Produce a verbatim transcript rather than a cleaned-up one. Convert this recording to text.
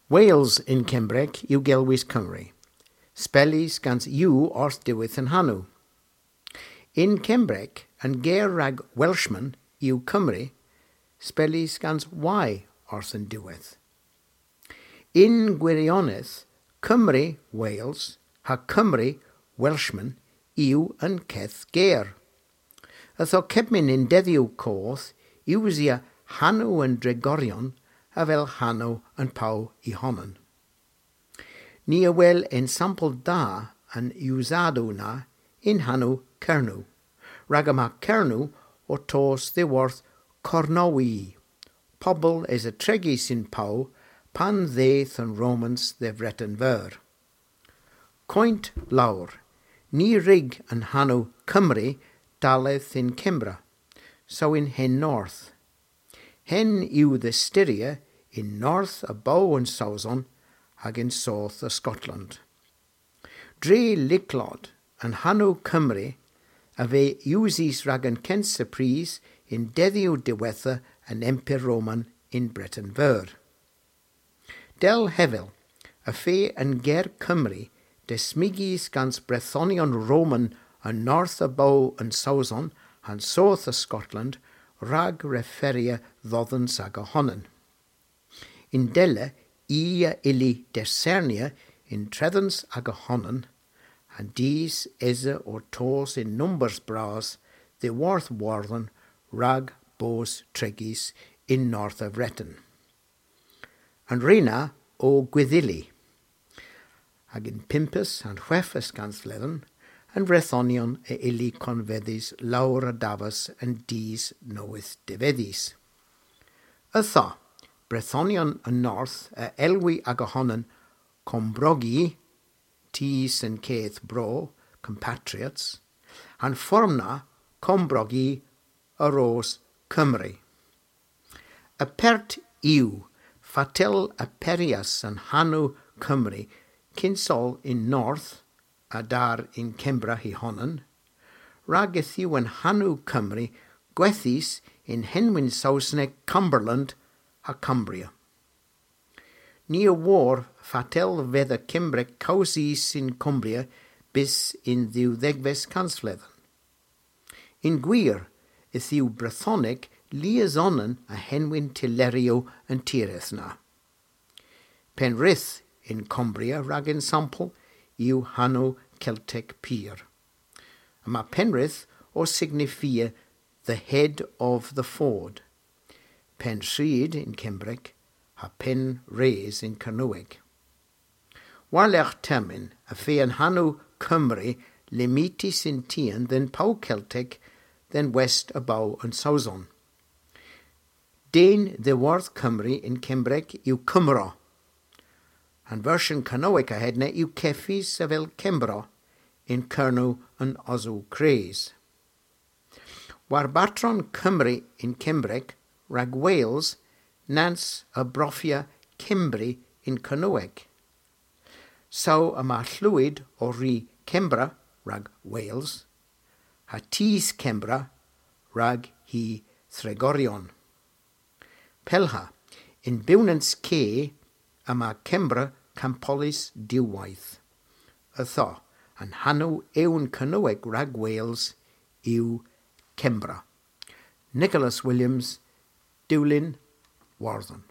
Wales yn Kembrek yw gelwys Cymru. Spellys gans U orth diwedh an hanow. Yn Kembrek, an ger rag Welshman yw Cymru, spellys gans Y orth an diwedh. Yn gwirionedh, Cymru, Wales, ha Cymru, Welshman, yw an keth ger. Ytho kepmyn yn dedhyow koth, usya hanow an dregoryon avel hanow an pow y honan. Ni a wel ensampel da an usadow na yn hanow Kernow, rag yma Kernow ow tos dhyworth Kornowi, pobel esa tregys yn pow pan dheuth an Romans dhe Vreten Veur. Koynt lowr, ny wrug an hanow Cymru dalleth yn Kembra, saw yn Hen North. Hen yw dhe styrya yn north a bow an Sowson hag yn soth a Skotland. Dre lyklod, an hanow Cymru a veu usys rag an kynsa prys yn dedhyow diwettha an Emper Roman yn Breten Veur. Dell hevel, y feu an ger Cymru desmygys gans Brethonyon Roman yn north a bow an Sowson ha'n soth a Skotland rag referya dhodhans aga honan. Yndella i a ylli desernya yntredhans aga honan, ha'n dus esa ow tos yn numbers bras dhyworth Wordhen rag bos tregys yn north a Vreten. An re na o gwydhyli. Hag yn pympes ha'n hweghves kansvledhen, an Vrethonyon a ylli konvedhes lowr a davas an dus nowydh devedhys. Ytho, Brethonyon an North a elwi aga honan Kombrogi, tus an keth bro, compatriots, ha'n form na Kombrogi a ros Cymru. Apert yw fatel aperyas an hanow Cymru kyns oll yn north, a-der yn Kembra hy honan, rag yth yw an hanow Cymru gwethys yn henwyn Sowsnek Cumberland ha Cumbria. Ni a wor fatel fedha Kembrek kewsys yn Cumbria bys yn dhewdhegves kansvledhen. Yn gwir, yth yw Brethonek lies onan a henwyn tylleryow an tiredh na. Penrith yn Cumbria rag ensampel yw hanow Keltek pur. Yma Penrith ow signifia the head of the ford. Penrhyd yn Kembrek ha Penrhys yn Kernewek. War-lergh termyn y feu an hanow Cymru limitys yn tien dhe'n pow Keltek dhe'n west a bow an Sowson. Den dhyworth Cymru yn Kembrek yw Cymro. An versyon Kernewek a hedna yw kevys avel Kembro yn Kernow an Osow Kres. War bartron Cymru yn Kembrek rag Wales, nans a brofya Kembri yn Kernewek. Saw yma Llwyd ow ri Kembra rag Wales, ha tus Kembra rag hy thregoryon. Pellha, yn bewnans ke yma Kembra kampolys diwweyth. Ytho, an hanow ewn Kernewek rag Wales yw Kembra. Nicholas Williams, Dulyn, Wordhen.